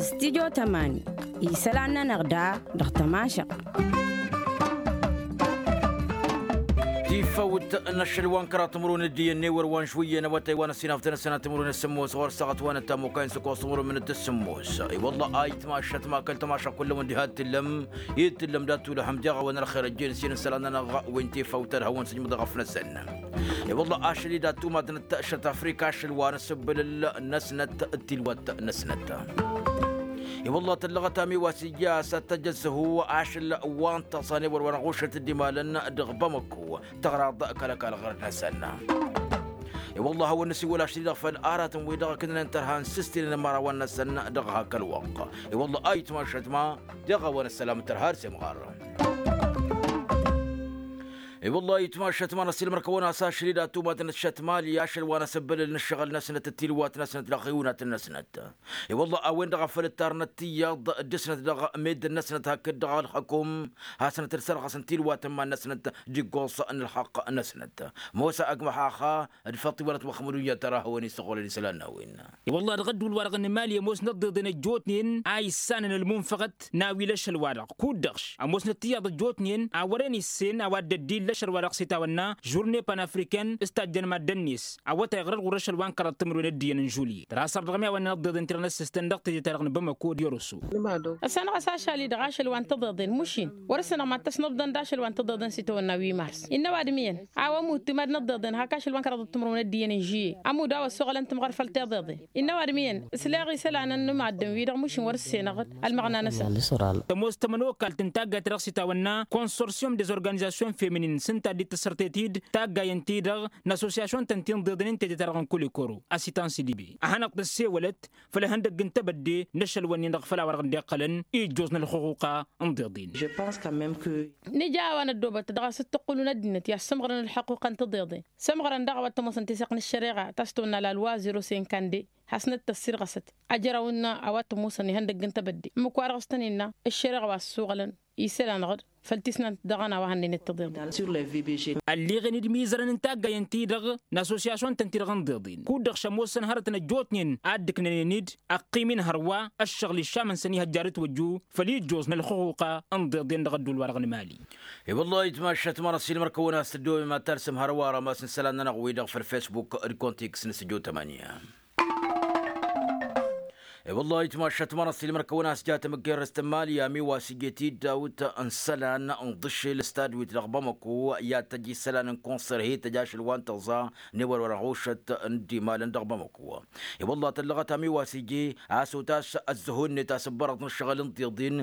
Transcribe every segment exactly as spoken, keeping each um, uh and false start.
Stidyo tămani isălan-nănăɣ da dăɣ-tămašăɣt. Tifăwt n-ašăl wa n-kăraḍ timǝrwen d-iyyăn n-ewăr wa n-žwǝyyăn awătay wa n-ăsinafdăn ăsănat timǝrwen d-sǝmmos ɣur-săɣăt wa n-ăttamukay n-săkoẓ timǝrwen d-sǝmmos. I-wălla ayǝtmašăt ma kăl-tămašăɣt kull-ăwăn diha d-tǝllăm ed tǝllăm dat-tulăhăm deɣ a-wen ălxer ăjjeen s-in isălan-nănăɣ wi n-tifăwt ad-hawăn-sǝjmǝḍ ɣăf-năsăn. I-wălla ašăl-i dat-tumadnăt šăt afrika ašăl wa n-asǝbbǝlǝl-năsnăt d-tilwat-năsnăt. I-wălla tǝllăɣăt amiwas ija s-ad-tăjj ăzzăhu ašăl wa n-taẓan ewăr wa n-ɣušăt d-imalăn dăɣ-bamăkku tăɣraḍ kăl-ăkall ɣărăt-năsăn. I-wălla a hawăn-năsiwăl ašăl-i-dăɣ făll-aratăn-wi-dăɣ ǝknănen tărha n-sǝstinen n-imărawăn-năsăn dăɣ-hak ălwăqq. I-wălla a itmašăt ma deɣ a-wa n-ăssălam tărha d-semɣar. I-wălla a itmašăt ma n-ăssiilmăr-kăwăn-as ašăl-i d-ad-tumadnăt šăt mali ašăl wa n-asǝbbǝlǝl n-ǝššăɣǝl-năsnăt d-tilwat-năsnăt dăɣ-iwǝnatăn-năsnăt. I-wălla a-wen-dăɣ a făl ǝttarnăt tiyyăḍ dăɣ-snăt dăɣ-meddǝn-năsnăt hakd dăɣ-ălxăkum hasnăt d-sărɣăsăn tilwat n-iman-năsnăt d-iggoẓ n-ălxăqq-năsnăt. Mosa ăgg măxaxa d-făṭṭ iwălăt măxmădun i-ad-tăra hawăn-isăɣolăn isălan n-a-wen. I-wălla-hi dăɣ-ădduul-wa-dăɣ n-mali ămoosnăt tiḍeḍen ăjjootnen a issanăn ălmunfăɣăt n-a-wi l-ašăl-wa-dăɣ kud-dăɣ š-ămoosnăt tiyyăḍ ăjjootnen a wăren issen a-wa dd-ăddin l-ašăl-wa-dăɣ s-itawănna žurne panafriken s-tajjăn maddăn-net. Awătay ɣărăt ɣur-ašăl wa n-kăraḍ timǝrwen d-iyyăn n-žulye tărha săr dăɣ-mi a-wa n-inăḍḍeḍen tirăn-s s-tăn dăɣ-teje-ta-dăɣ n-bamăko d-iroso. Ăssanăɣ-as ašăl-i-dăɣ ašăl wa n-tiḍeḍen mušin wăr-ǝssanăɣ mad-tăsnăbḍăn d-ašăl wa n-tiḍeḍen s-itawănna wi mars innă ăwadǝm iyyăn a-wa ămudd timad n-ăḍḍeḍen hak ašăl wa n-kăraḍăt timǝrwen d-iyyăn n-žulye ămudd a-wa ăssoɣălăn timɣăr făll-tiḍeḍen. Innă ăwadǝm iyyăn ǝsleɣ isălan n-imaddǝn-wi-dăɣ mušin wăr-ǝssenăɣ-dd ălmăɣna-năsăn. Tămoos tămănokalt n-taggayt-ta-dăɣ s-itawănna consortium des organizations feminin s-ǝnta a dd-tăssărtet-dd taggayăn-ti-dăɣ n-assosyasyon-tăn ti n-iḍeḍnen n-teje-ta-dăɣ n-kulikoro asitan sidibe a hanăɣ-tăssewălăt făll-ihăndăgg n-tebădde n-ašăl-wǝnnin-dăɣ făll-a-wa-dăɣ dd-iqqălăn ijjoẓ n-ălxuquqa n-iḍeḍen. Nǝja a-wa n-ăddoobăt dăɣ-a-s t-ǝqqǝlun ăddinăt i-ad-sǝmɣărăn ălxăquqa n-tiḍeḍen sămɣărăn daɣ a-wa t-ămoosăn tisăɣt n-ăššăreɣa ta s-tăwănna la lwa zero cinquante-deux hasnăt-tăssirɣăsăt ajrăw-nănăɣ a-wa t-ămoosăn ihăndăgg n-tebădde ǝmmǝk-wa-dăɣ s-tăn-innă ăššăreɣa wa ăssuɣălăn isălan-dăɣ făll-tisnant dăɣ-ănn a-wa hannăynăt tiḍeḍen. Ălleɣen-dd imizărăn n-taggayen-ti-dăɣ n-assosyasyon-tăn-ti-dăɣ n-iḍeḍen kud-dăɣ šămoosăn hărătăn ăjjootnen a dd-ǝknănen-dd ăqqim-in hărwa ăššăɣǝl iššamăn-săn ihăjja d-ătwăjju făll-ijjoẓ n-ălxuquqa n-iḍeḍen dăɣ-ădduul-wa-dăɣ n-mali. I-wăllah itmašat ma n-ăssiilmăr-kăwăn-as tăddoobem ad-talsăm hărwa rămas n-isălan-nănăɣ-wi-dăɣ făll-fesbuk d-kontiks n-săjo tămănǝya. I-wăllah itmašat ma n-ăssiilmăr kăwăn-as ja tamǝggerrăst n-mali amiwas ije-t-dd dawt n-isălan n-iḍǝššel s-tadwit dăɣ-bamăko i-ad-tăj isălan n-konsăr hi-tăj ašăl wa n-tăẓa n-ewăr wăr-ăɣušăt n-dd-imalăn dăɣ-bamăko. I-wăllah tăllăɣăt amiwas ije a-s otas ăzzăhu-net asǝbbărăḍ n-ǝššăɣǝl n-tiḍin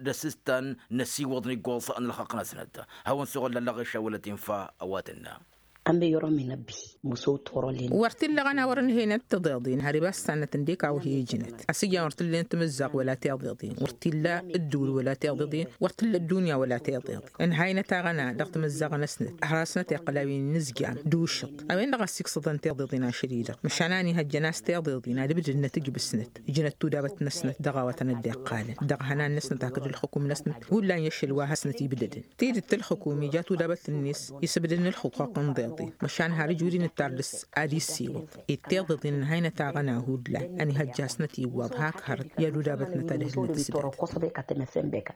d-asǝstan n-ăsiwăḍ n-iggoẓ n-ălxăqq-năsnăt. Hawăn-suɣǝl lăllăɣ išawălăt infa ăwadǝnna. Ămmăyărăm inăbbi măsăwăt wăr-ălin. Wăr t-illa ăɣăna wăr-ǝnhăynăt tiḍeḍen har iba s-sannăt ǝndek a-wa hi-ǝjnăt ăsǝjjan wăr t-ǝllăyăn timǝzzaɣ wăla tiḍeḍen wăr t-illa ǝddǝwǝl wăla tiḍeḍen wăr t-ǝlla ăddunya wăla tiḍeḍen. Ǝnhaynăt aɣăna dăɣ-timǝzzaɣ-năsnăt har hasnăt iqqăl a-wen n-inǝzjan d-ušǝḍ a-wen-dăɣ a ăssiiksăḍăn tiḍeḍen ašăl-i-dăɣ măšan a ănihăjjăn a-s tiḍeḍen ad-ǝbdǝdnăt ǝjbǝsnăt ǝjnăt tudabăt-năsnăt dăɣ-a-wa tăn-dd-iqqalăn dăɣ-ihănan-năsnăt hakd ǝlxǝkum-năsnăt hullan i-ašăl wa hasnăt-ibdădăn. Tidǝt ǝlxǝkum ija tudabăt-net isǝbdǝd n-ǝlxǝquq n-tiḍeḍen măšan har ǝjwǝd-in ǝttar dăr-s ad-issiwăḍ. Ed tiḍeḍen ǝnhaynăt aɣăna hullan ănihăjja a-s nătiwwaḍ hak hărăt i-ad-udabătnăt ad-ǝhlǝnăt s-dăɣ.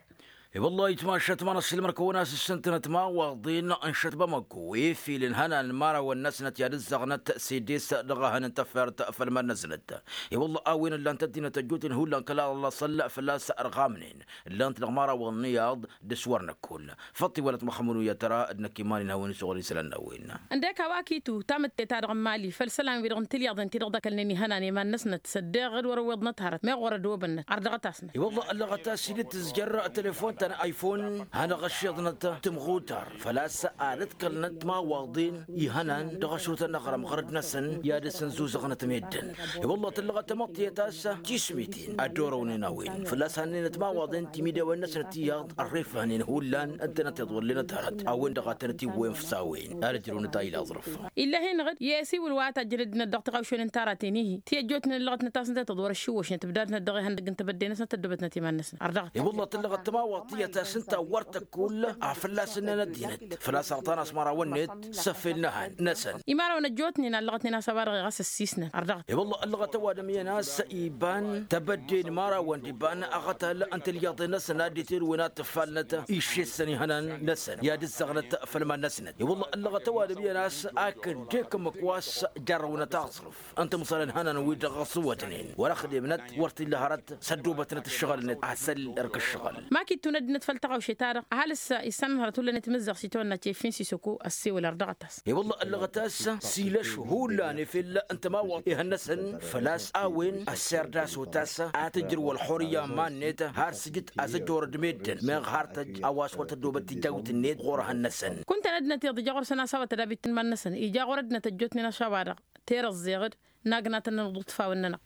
I-wăllah itmašat ma n-ăssiilmăr-kăwăn-as ǝssǝntǝnăt imawaḍen n-šăt bamăko efilăn ihănan n-imărawăn-năsnăt i-ad-ǝzzăɣnăt s-edes dăɣ-ehăn n-tafert făll-iman-năsnăt. I-wăllah a-wen ǝllan-t ăddinăt ăjjootnen hullan kăla ăllasăl fălla-s ărɣamnen ǝllan-t dăɣ-imărawăn n-iyyăḍ d-aswărnăk kull. Făṭṭ iwălăt măxămănu i-ad-tăra d-năkk iman-in hawăn-isuɣǝl isălan n-a-wen. Ǝndek a-wa kitu tamǝtte-ta-dăɣ n-mali făll-isălan-wi-dăɣ n-tilyaḍen ti-dăɣ dd-ăkălnen ihănan i-iman-năsnăt s-ăddeɣ d-wăr-ăwweḍnăt hărăt meɣ wăr-ădobănnăt ardăɣăt-asnăt. I-wălla ăllăɣăt a-s dd-tǝzjăr telefon ta n-iphone hanăɣ-ăššiḍnăt timɣutar făl-a-s ad-ăḍkălnăt timawaḍen ihănan dăɣ-ašrutăn n-aɣrăm ɣărăd-năsăn i-ad-dăr-săn zuzăɣnăt meddǝn. I-wălla tǝllăɣăt tamăḍt tiyyăt a-s tismiten ad-dd-orăwnen a-wen făl-a-s hannăynăt timawaḍen timidewen-năsnăt iyyăḍ ărrefăhnen hullan ǝntănăt iḍwăllănăt hărăt a-wen-dăɣ ad-tănăt-iwwăyăn fǝsawen ad-ǝjrăwnăt a ila aẓrǝf. Illa hin-dăɣ-dd i-asiwǝl wa tajjăn ăddinăt dăɣ-tiɣawšen n-tara-ten-ihi ti ăjjootnen ăllăɣătnăt a-s ǝnta i-tăḍwăr ăššiwwăšnăt ǝbdadnăt dăɣ-ihăndăgg n-tebădde-năsnăt tăddobătnăt iman-năsnăt ărdăɣăt. I-wălla tǝllăɣăt tămawaḍt tiyyăt a-s ǝnta wăr tăkkull a fălla-s ǝnnăn ăddinăt făl-a-s ărḍan a-s mărawăn-net. S-ăffel n-ehăn-năsăn. Imărawăn ăjjootnen a ǝllăɣătnen a-s a-wa-dăɣ iɣăs ăssiisnăn ărdăɣăt. I-wălla ăllăɣăt ăwadǝm iyyăn a-s iban tebădde n-imărawăn d-iban aɣătal n-tilyaḍen-năsăn ad-dd-tirǝwen ad-tǝffalnăt iššessăn ihănan-năsăn i-ad-ǝzzăɣnăt făll-iman-năsnăt. I-wălla ăllăɣăt ăwadǝm iyyăn a-s akǝn d-ekǝmmǝk wa s-jarrăwnăt aẓrǝf ǝnta măsălăn hănan-wi-dăɣ s-ǝwwătnen wăr-ăxdemnăt wăr t-illa hărăt s-ăddoobătnăt ǝššăɣǝl-net asăl erk ǝššăɣǝl. Ma k-ittun ăddinăt făll-taɣăwše-ta-dăɣ ăhalǝs issanăn hărăt hullan i-timǝzzaɣt s-itwănna cefin sisoko ăssewăl ărdăɣăt-as. I-wălla ăllăɣăt a-s s-ilăš hullan efel n-tămawăḍt ihăn-năsăn făl-a-s a-wen ăsserdăs otas a tǝjrǝw ălxurǝyya n-iman-net har sǝjǝt a-s ăjorăd meddǝn meɣ har tăjj a-wa s-wăr tăddoobăt tijawt-net ɣur-ehăn-năsăn. Kunta n-ăddinăt iḍǝj a ɣur-săn a-s a-wa tădabit n-iman-năsăn ija ɣur-ăddinăt ăjjootnen ašawa-dăɣ terăẓẓeɣ-dd. Nagnatăn n-aḍuḍfawăn-nănăɣ.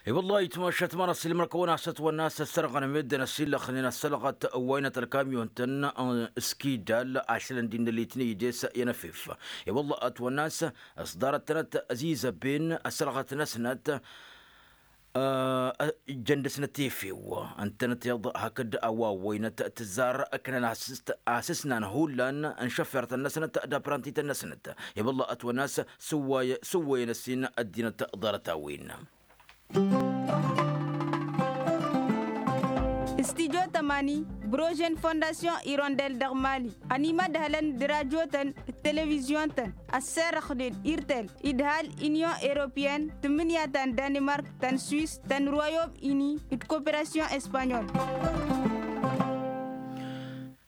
I-wăllah itmašat ma n-ăssiilmăr-kăwăn a-s ătwănna a-s ăssărɣăn meddǝn ăsillăxnen ăssălɣăt wa inăt ălkamyon-tăn. S-kidal ašălăn d-innă litney ides i-anăfef. I-wăllah ătwănna a-s s-ḍarăt-tănăt ăzizăbben ăssărɣăt-năsnăt ǝjjăn dăɣ-snăt efew ǝntănăt iḍ hakd a-wa ăwwăynăt tǝzzar ǝknăn asǝsnan hullan n-išăffirătăn-năsnăt d-apprantităn-năsnăt. I-wălla ătwănna a-s s-ǝwwăyăn ăssin ăddinăt ḍarăt-a-wen. Studyo tămani, brože n-fondasyon irondel dăɣ-mali ănimădhălăn d-rajotăn d-televizyon-tăn ăsserăxnen irtel idhal inyon europeyăn tǝmmǝnǝya ta n-danimark ta n-swis ta n-royom ini d-koperasyon espanyol.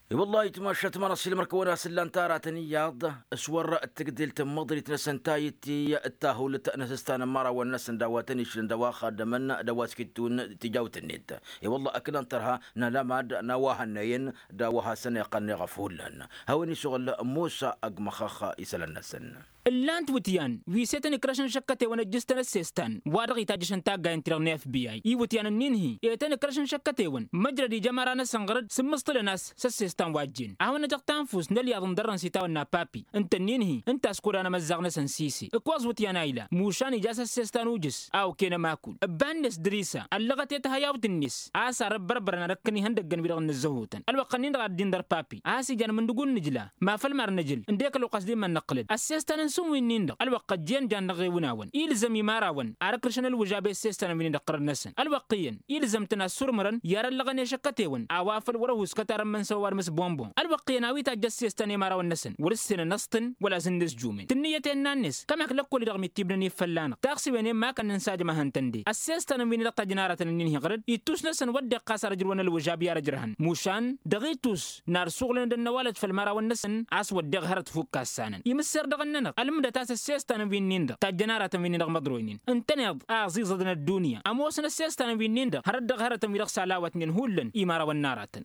I-wăllah itmašat ma n-ăssiilmăr-kăwăn a-s ǝllan taratăn iyyăḍ s-wăr tǝgdel tǝmmăḍrit-năsăn ta itti d-tahulǝt n-asǝstan n-imărawăn-năsăn d-a-wa tăn-išlăn d-a-wa xaddămăn d-a-wa s-kittǝwăn tijawt-net. I-wăllah ăknăn tărha n-alamad n-a-wa hănnăyăn d-a-wa hasăn-iqqălnen ɣăf hullan. Hawăn-isuɣǝl musa ăgg măxxăx isălan-năsăn. Ǝllan-t wǝtyan wi s-e-tăn-ikrăšăn šăkkătewăn ăjjǝs-tăn ăssestan wa dăɣ-itajjăšăn taggayăn-ti-dăɣ n-fbi iwǝtyan-ǝnnin-hi e-tăn-ikrăšăn šăkkătewăn măjrăd ija ămăra-năsăn ɣăr-dd sǝmmǝṣṭǝlăn a-s s-ăssestan wa ăjjeen a hawăn-năjăɣ tanfust n-ălyaḍ n-dărrăn s-itawănna papi. Ǝnta-ǝnnin-hi ǝnta a-s kodan amăzzaɣ-năsăn sise ǝkkoẓ wǝtyan a ila mušan ija s-ăssestan ujǝs a okăyăn ămakul. Ǝbba-net dăr-isa ăllăɣăt i-tihăyawt-net a-s arăbbărbărăn ad-ăkkăn ihăndăggăn wi-dăɣ ǝnnǝzzăhutăn ălwăqq-ǝnnin-dăɣ ad-dd-indăr papi a-s ijan mǝndǝg unǝjla. Ma făl mar nǝjǝl ǝndek ălwăqq a-s dd-immăn năqqǝlăd ăssestan n-sǝnwi-nin-dăɣ ălwăqq ăjjeen jan dăɣ-ewǝnawăn ilzăm imărawăn ar ǝkrǝšăn ălwǝžab i-ăssestan wi-nin-dăɣ ɣărăn-năsăn ălwăqq iyyăn ilzăm-tăn ad-surǝmărăn i-ad-ăllăɣăn i-ašăkkătewăn a-wa făl wăr-ăhuskăt arămmăn s-ăwwar mǝsbonbon ălwăqq iyyăn a-wa itajj ăssestan i-imărawăn-năsăn wăr-ǝssenăn ăṣṭǝn wăla s-ǝnnǝsjumen tǝnnǝyăt ennăn-net kămak lăkkol-i-dăɣ mittibnăn-in fălla-năɣ taxsiwen i-ămmakăn n-sajăm a hăn-tăn-de ăssestan wi-ni-dăɣ tajjăn aratăn-ǝnnin-hi ɣăr-dd ittus-năsăn wădden ɣas ar ǝjrǝwăn ălwǝžab i-ar ǝjrăhăn mušan dăɣ-itus n-ar suɣǝlăn d-ănnăwalăt făll-imărawăn-năsăn a-s wădden hărăt fukk assanăn imǝsser dăɣ-ǝnnănăɣ ălmǝdăt a-s ăssestan wi-nin-dăɣ tajjăn aratăn wi-nin-dăɣ măḍroynen ǝntăneḍ a ăẓiẓădăn ăddunya ămoosăn ăssestan wi-nin-dăɣ hărăt dăɣ-hărătăn wi-dăɣ s-alawătnen hullan imărawăn n-aratăn.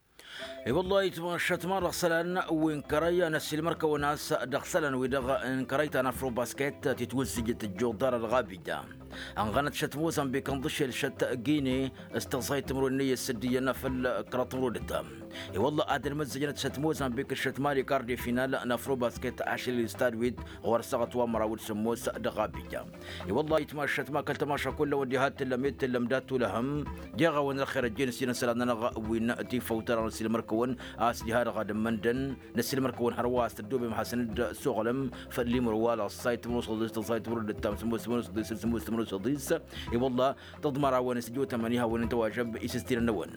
I-wăllah itmăššăt ma dăɣ-isălan wi n-kărăy a n-ăssiilmăr-kăwăn a-s dăɣ-isălan wi-dăɣ n-kărăy ta n-afrobasket titwǝzzǝjăt ăjjuḍ ḍarăt ɣabija ănɣănăt šăt mozambik ǝnḍǝšel šăt gine s-tăẓẓayt timǝrwen n-eyyăt s-dd-iyyăn făll-kăraḍ timǝrwen d-ǝttam. I-wăllah ad-ălmăzzăjnăt šăt mozambik d-šăt mali kar de final n-afrobasket ašăl i-stad wit ɣur-ăssaɣăt wa n-măraw d-sǝmmos dăɣ-abija. I-wăllah itmăššăt ma kăl-tămaša kullăwăn diha t-tǝllăm i-t-tǝllăm dat-tulăhăm. Jeɣ-awăn ălxer ăjjeen s-inăsălan-nănăɣ wi n-tifăw tăra n-ăssiilmăr-kăwăn a-s diha-dăɣ ad-ǝmmăndăn n-ăssiilmăr-kăwăn hărwa a-s tăddoobem hasăn-dd-suɣǝlăm făll-imǝrwa lăṣṣay timǝrǝw s-ăḍis tăẓẓay timǝrǝw d-ǝttam sǝmmos timǝrǝw s-ăḍis săl sǝmmos timǝrǝw s-ăḍis. I-wăllah tăḍmărawăn s-ǝjot ămăni hawăn-in tăwažăb isǝstirăn-năwăn.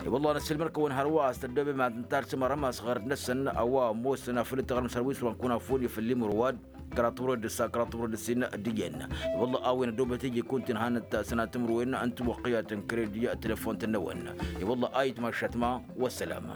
I-wăllah n-ăssiilmăr-kăwăn hărwa a-s tăddoobem ad-tǝnta ar s-imărăm asɣăr-năsăn a-wa ămoosăn afăl dd-tăɣrǝm s-hărwa iswănkunafun i-făll-imǝrwa d-kăraḍ timǝrǝw d-ǝssa kăraḍ timǝrǝw d-ǝssin d-iyyăn. I-wăllah a-wen ăddoobăt iji kunta-in hanăt sănatǝmrǝwen n-tiwăqqiyat n-kredi telefon-tăn-năwăn. I-wăllah a itmaššat ma wăssălam.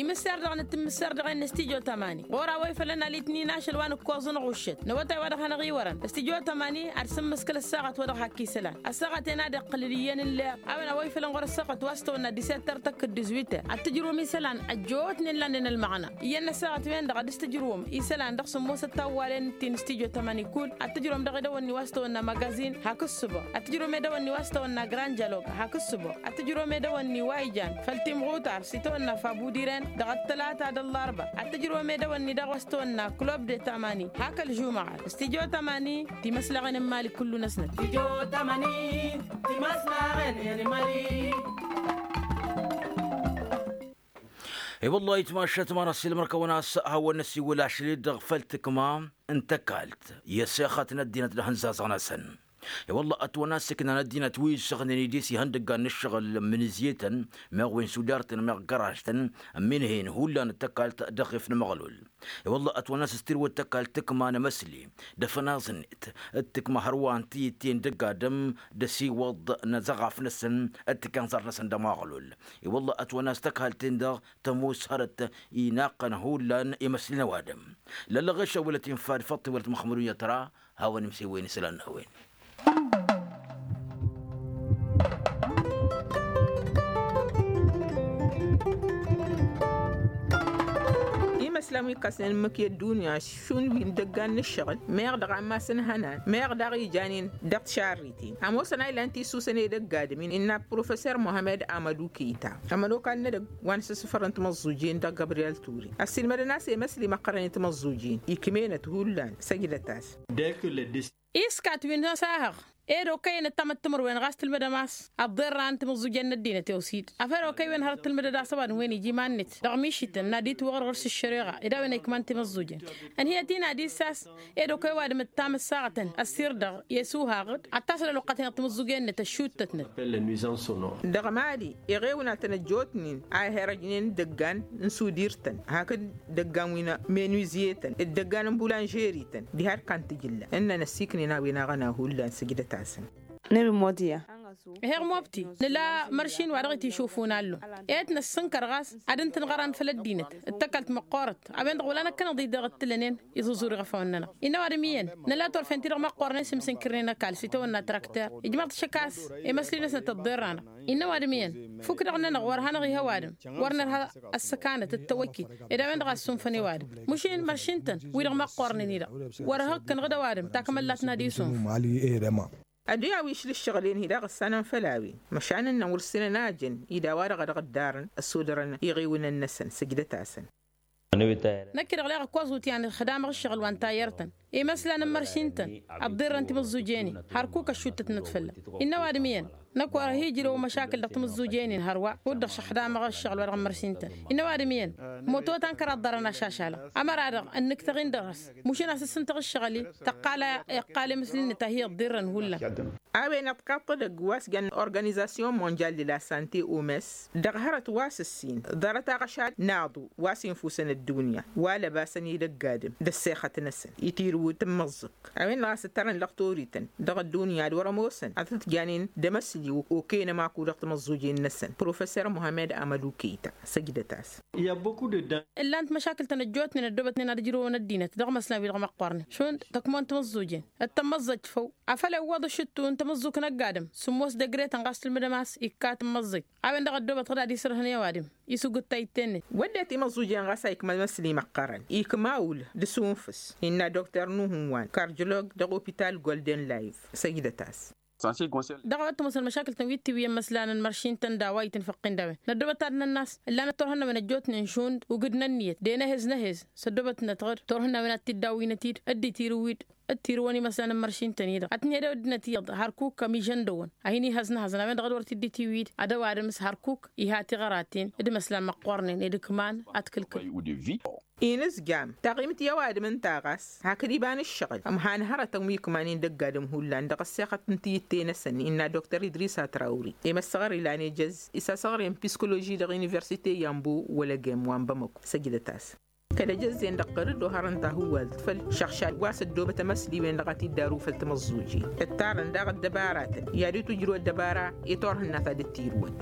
Imǝssar dăɣ-năt imǝssar dăɣ-en n-stijo tamani ɣur-a-wa ifălăn alitnin ašăl wa n-ǝkkoẓăn ɣuššăt n-awătay wa dăɣ-hanăɣ-iwărăn stijo tamani ad-sǝmmǝskǝl ăssaɣăt wa dăɣ-hak isălan ăssaɣăt-en ad-iqqǝlǝl iyyăn n-lea. A-wen a-wa ifălăn ɣur-ăssaɣăt wa s-tawănna disettăr tăkk d-dizwităr ad-tǝjrǝwăm isălan ăjjootnen lannen ălmăɣna iyyăn n-ăssaɣăt-wen-dăɣ ad-dăɣ-s tǝjrǝwăm isălan dăɣ-sǝmmosăt tawwalen-tin stijo tamani kull ad-tǝjrǝwăm dăɣ-edăwănni wa s-tawănna magazin hak ǝssǝbăɣ ad-tǝjrǝwăm edăwănni wa s-tawănna grand jalog hak ǝssǝbăɣ ad-tǝjrǝwăm edăwănni wa ijan făll-timɣutar s-itawănna fabudiren Dăɣ-ăttălata d-ăllarba ad-tǝjrǝwăm edăwănni dăɣ-wa s-tăwănna klub de tamani hak ălžumăɣat s-tijo tamani. Timăslaɣen n-imali kullu-năsnăt. I-wălla-hi tmašat ma n-ăssiilmăr-kăwăn a-s hawăn-năsiwǝl ašăl-i-dăɣ făll-tǝkma n-tăkalt i-ăssexăt n-ăddinăt d-ahǝnzazăɣ-năsăn. I-wălla-hi ătwănna s-iknan ăddinăt wi ǝssăɣnen idis ihăndăggan n-ǝššăɣǝl n-imǝnǝzye-tăn meɣ wen s-uder-tăn meɣ găraj-tăn ămminhen hullan d-tăkalt dăɣ-ef n-amăɣlul. I-wălla-hi ătwănna s-tirwăt tăkalt tǝkma n-emăsli d-afănaẓ-net d-tǝkma hărwa n-tiyǝtte n-dăgg-adǝm d-asiwăḍ n-azăɣaf-năsăn d-tikanẓar-năsăn d-amăɣlul. I-wălla-hi ătwănna s-tăkalt-en-dăɣ tămoos hărăt inaqqăn hullan imăsli n-ăwadǝm. Lăllăɣešăw wălăt infa d-făṭṭi wălăt măxmădun i-ătra hawăn-imsewen isălan n-a-wen. Imăslan wi ǝkkasnen ǝmmǝk i-ăddunya šund wi n-idăggan n-ǝššăɣǝl meɣ dăɣ-ammas n-ihănan meɣ daɣ ijanen dăɣ-tišarriten ămoosăn a ilan tisusăn edăgg adǝm-in innă professor muhammed amădu keyta ămănokal n-edăgg wa n-asǝssǝfărăn timǝẓẓujen dăɣ-gabriyel ture ăssiilmădăn a-s emăsli măqqărăn i-timǝẓẓujen ikm'-enăt hullan săjdăt-as. Iskat wi n-asahăɣ ed okăyăn ăttamăt timǝrwen ɣas tǝlmǝdăm a-s ăḍḍerran timǝẓẓujen n-ăddinăt i-osid afăl okăy-wen hărăt tǝlmǝdăd a-s ăwadǝm-wen ija iman-net dăɣ-mišităn n-ad-itwăɣrăɣ s-ăššăreɣa ed a-wen a ikman timǝẓẓujen. Ănhǝyăt-in ad-issas ed okăy ăwadǝm d-tamǝssaɣătăn ăssirr-dăɣ i-asuhaɣ-dd ad-tasăl ălwăqqăt-en-dăɣ timǝẓẓujen-net ăššuttătnăt. Dăɣ-mali iɣewnatăn ăjjootnen a iherăjnen d-idăggan n-sudir-tăn hakd idăggan wi n-menuizyetăn d-idăggan n-bulanžerităn diha ărkan tijǝlla ǝnnăn ăssiiknen a-wen aɣăna hullan sǝjdăt-asăn. Nǝlmod iyyăn. Heɣ mobti nǝla măršin wa dăɣ-itishufun allu. Ed năssǝnkăr ɣas ad-ǝntǝnɣăran făll-ăddinăt d-tăkalt măqqoorăt a-wen-dăɣ wăla năkkăneḍ-i dăɣ-t-tǝllănen iẓuẓur iɣăfawăn-nănăɣ. Innă ăwadǝm iyyăn nǝla turfen-ti-dăɣ măqqoornen s-imsǝnkǝrnen ăkall s-itawănna trakter ijmaḍ-t šăkk a-s emăsli-năsnăt ăḍḍerr-anăɣ. Innă ăwadǝm iyyăn fukk-dăɣ-nănăɣ wăr hanăɣ-iha ăwadǝm wăr nărha ăssăkanăt d-tawăkkit ed a-wen-dăɣ a ǝssunfăn i-ăwadǝm mušin măršin-tăn wi-dăɣ măqqoornen-i-dăɣ wăr hăɣ-kănăɣ d-ăwadǝm takmăllat n-ad-isunf. Ăduya wi išla ǝššăɣǝl-en-hi daɣ ǝssanăn făll-a-wen măšan ǝnnăn wăr ǝssinăn a jăn ed a-wa-dăɣ a dăɣ-ǝddarăn ăssodărăn iɣewnăn-năsăn sǝjdăt-asăn. Năkk-i-dăɣ leɣ ǝkkoẓ wǝtyan ixdamăɣ ǝššăɣǝl wa n-tayyărt-tăn imăslan n-imărši-tăn ăḍḍirrăn timǝẓẓujen-in hărkuk ăššuttătnăt fălla-wen. Innă ăwadǝm iyyăn năkk wăr-hi-ijrăw măšakǝl dăɣ-timǝẓẓujen-in hărwa kud-dăɣ šăxdamăɣ ǝššăɣǝl wa dăɣ-imărši-tăn. Innă ăwadǝm iyyăn moto tankăr a ăḍḍărăn ašašalăɣ ămăra-dăɣ ǝnnǝktăɣ-in dăr-s mušin a-s ǝssǝntăɣ ǝššăɣǝl-i tăqqal a iqqal emǝsli-net a hi-ăḍḍirrăn hullan. A-wen ăḍkaṭ edăgg wa s-jăn organizasyon monjal de la sante omes dăɣ-hărăt wa s-ǝssin ḍarăt aɣăšad n-aḍu wa s-infusăn ăddunya wa lăbasăn edăgg adǝm d-ăssexăt-năsăn itirǝw timǝẓẓǝk a-wen-dăɣ a-s ǝttărăn lăɣtorităn dăɣ-ăddunya d-wăr-ămoosăn ad-tǝtjanen d-emăsli okăyăn ămaku dăɣ-timǝẓẓujen-năsăn professor muhammed amădu keyta săjdăt-as. Ǝllan-t măšakǝl-tăn ăjjootnen ăddoobătnen ad-ǝjrǝwăn ăddinăt dăɣ-imăslan-wi-dăɣ măqqoornen šund tăkmon timǝẓẓujen d-tămmăẓẓăjt făw afăl iwwăḍ ašǝttu n-tamǝẓẓuk n-ăgg-adǝm sǝmmos degre-tăn ɣas tǝlmǝdăm a-s ikka tǝmmăẓẓăjt. A-wen-dăɣ ăddoobăt ɣǝd ad-isǝrhǝn i-ăwadǝm isugǝt tayǝtte-net. Wădden timǝẓẓujen ɣas a ikma imăsli măqqărăn ikma ul d-asunfǝs innă dokter nuhǝnwan karjlog dăɣ-opital golden live săjdăt-as. Dăɣ-a-wa t-ămoosăn măšakǝl-tăn wi t-iwǝyăn imăslan n-imărši-tăn d-a-wa itǝnfăqqin d-a-wen năddoobăt ad-nănn'-as ǝllanăt turhǝnnawen ăjjootnen šund ugǝd n-ănniyăt d-enăhez năhez s-ăddoobătnăt ɣǝd turhǝnnawen ad-t-dd-awǝynăt-dd dd-itirǝw-dd d-tirǝwăn imăslan n-imărši-tăn-i-dăɣ ad-tǝnhăyăd ăddinăt iyyăḍ hărkuk ămižăndăwăn a hin-ihăznăhăẓăn a-wen-dăɣ d-wăr t-dd-itiwǝy-dd ad-ăwadǝm s-hărkuk iha tiɣăraten d-imăslan măqqoornen ed ǝkman ad-t-kǝlkǝl. Inǝzjam taɣimt i-ăwadǝm ǝnta ɣas hakd iba n-ǝššăɣǝl ămhan hărătăn wi ǝkmanen dăgg-adǝm hullan dăɣ-ăssexăt n-tiyǝtte-năsăn innă dokter idris atrawri i-măssăɣăr ilan ejăzz isasăɣre n-piskoloži dăɣ-universite yambo wălăgem wa n-bamăko săjdăt-as. Kăl-ejăzz-en dăɣ-tărǝd oharăn tahǝwwalt făll-išăɣšad wa s-ăddoobăt emăsli-wen-dăɣ a t-dd-aru făll-timǝẓẓujen ǝttarăn daɣ ăddăbaratăn i-ad-itwǝjrǝw ăddăbara i-turhǝnna ta dd-tirǝwăn.